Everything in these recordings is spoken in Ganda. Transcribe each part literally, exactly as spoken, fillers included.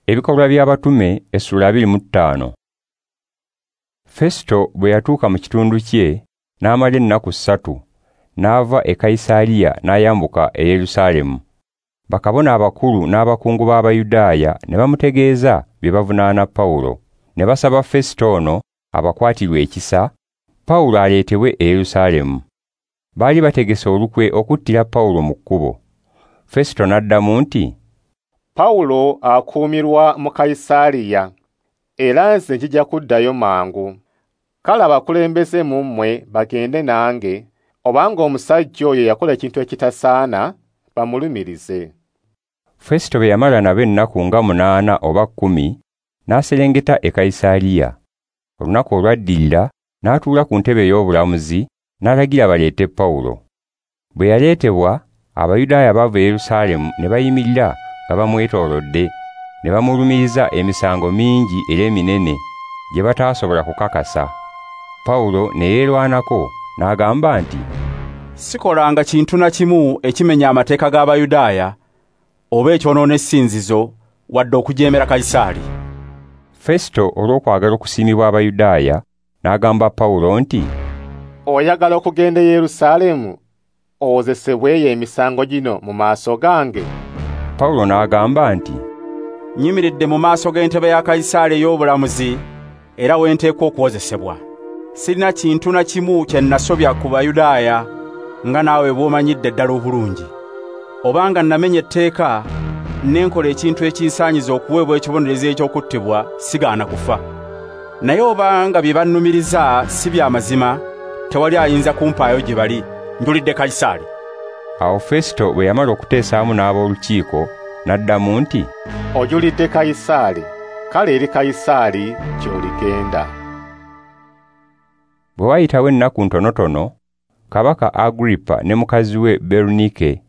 Ebikolwa by'Abatume essula abiri mu ttaano. Festo bwe yatuuka mu kitundu kye n'amala ennaku ssatu, n'ava e Kayisaliya n'ayambuka e Yerusaalemu. Bakabona abakulu n'abakungu b'Abayudaaya ne bamutegeeza bye bavunaana Pawulo, ne basaba Festo ono abakwatirwe ekisa, Pawulo aleetebwe e Yerusaalemu. Baali bategese olukwe okuttira Pawulo mu kkubo. Festo n'addamu nti, Pawulo akuumirwa mu Kayisaliya, era nze njija kuddayo mangu. Kale abakulembeze mu mmwe bagende nange, obanga omusajja oyo yakola ekintu ekitasaana, bamulumirize. Festo bwe yamala nabo ennaku nga munaana oba kkumi, n'aserengeta e Kayisaliya. Olunaku olwaddirira n'atuula ku ntebe ey'obulamuzi, n'alagira baleete Pawulo. Bwe yaleetebwa, Abayudaaya baava e Yerusaalemu ne bayimirira nga bamwetoolodde, ne bamulumiriza emisango mingi era eminene gye bataasobola kukakasa. Pawulo ne yeerwanako n'agamba nti, Sikolanga kintu na kimu ekimenya amateeka g'Abayudaaya oba ekyonoona essinzizo wadde okujeemera Kayisaali. Festo olw'okwagala okusiimibwa Abayudaaya n'agamba Pawulo nti, Oyagala okugenda e Yerusaalemu owozesebweyo emisango gino mu maaso gange? Pawulo n'agamba nti, Nnyimiridde mu maaso g'entebe ya Kayisaali ey'obulamuzi era we nteekwa okuwozesebwa. Sirina kintu na kimu kye nasobya ku Bayudaaya nga naawe bw'omanyidde ddala obulungi. Obanga namenya etteeka ne nkola ekintu ekinsaanyiza okuweebwa ekibonerezo eky'okuttibwa, sigaana kufa. Naye obanga bye bannumiriza si bya mazima, tewali ayinza kumpaayo gye bali. Njulidde Kayisaali. Awo Festo bwe yamala okuteesaamu n'ab'olukiiko n'addamu nti, Ojulidde Kayisaali, kale eri Kayisaali gy'oligenda. Bwe wayitawo ennaku ntonotono, Kabaka Agripa ne mukazi we Berunike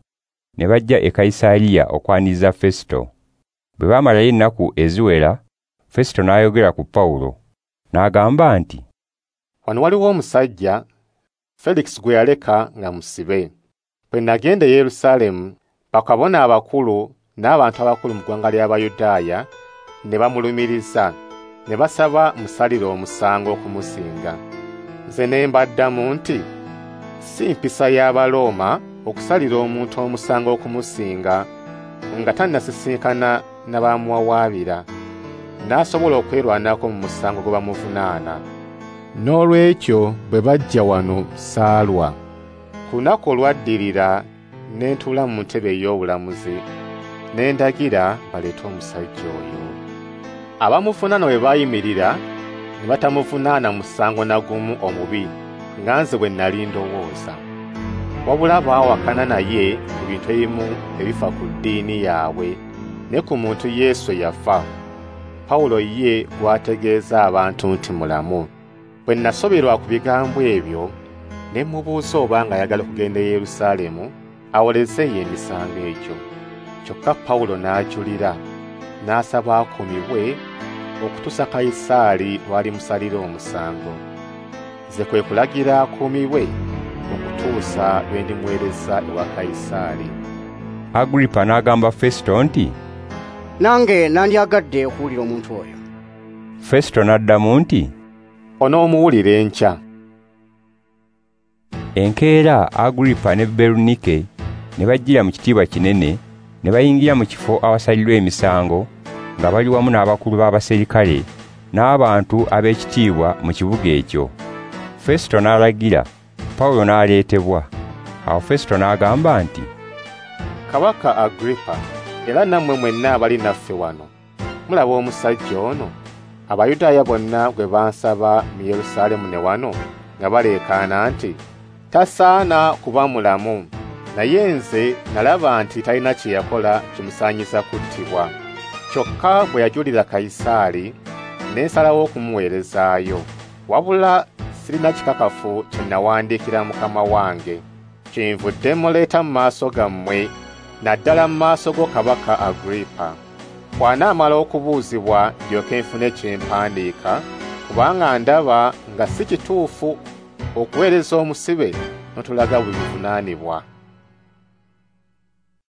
ne bajja e Kayisaliya okwaniriza Festo. Bwe baamalayo ennaku eziwera, Festo n'ayogera ku Pawulo, n'agamba nti, Wano waliwo omusajja Felix gwe yaleka nga musibe. Bwe nagenda e Yerusaalemu, bakabona abakulu n'abantu abakulu mu ggwanga ly'Abayudaaya ne bamulumiriza, ne basaba musalire omusango okumusinga. Nze ne mbaddamu nti, si mpisa y'Abalooma okusalira omuntu omusango okumusinga nga tannasisinkana na bamuwawaabira, n'asobola okwerwanako mu musango gwe bamuvunaana. N'olwekyo bwe bajja wano saalwa. Ku lunaku olwaddirira ne ntuula mu ntebe ey'obulamuzi, ne ndagira baleete omusajja oyo. Abamuvunaana bwe baayimirira ne batamuvunaana musango na gumu omubi nga nze bwe nali ndowooza. Wabula baawakana naye ku bintu ebimu ebifa ku ddiini yaabwe ne ku muntu Yesu eyafa. Pawulo ye gw'ategeeza abantu nti mulamu. Bwe nasoberwa ku bigambo ebyo, ne mubuuza obanga ayagala okugenda e Yerusaalemu awolezeeyo emisango egyo. Kyokka Pawulo n'ajulira, n'asaba akuumibwe okutuusa Kayisaali lw'alimusalira omusango. Nze kwe kulagira akuumibwe okutuusa lwe ndimuweereza ewa Kayisaali. Agripa n'agamba Festo nti, Nange nandyagadde okuwulira omuntu oyo. Festo n'addamu nti, Onoomuwulira enkya. Enkeera Agripa ne Berunike ne bajjira mu kitiibwa kinene, ne bayingira mu kifo awasalirwa emisango nga bali wamu n'abakulu b'abaserikale n'abantu ab'ekitiibwa mu kibuga ekyo. Festo n'alagira, Pawulo n'aleetebwa. Awo Festo n'agamba nti, Kabaka Agripa, era nammwe mwenna abali naffe wano, mulaba omusajja ono, Abayudaaya bonna gwe bansaba mu Yerusaalemu ne wano nga baleekaana nti, tasaana kuba mulamu. Naye nze nalaba nti talina kye yakola kimusaanyiza kuttibwa. Kyokka bwe yajulira Kayisaali, ne nsalawo okumuweerezaayo. Wabula sirina kikakafu kye nawandiikira mukama wange. Kyenvudde muleeta mu maaso gammwe, naddala mu maaso go Kabaka Agripa. Bw'anaamala okubuuzibwa ndyoke nfune kye mpandiika, kubanga ndaba nga si kituufu okuweereza omusibe n'otulaga bwe bivunaanibwa.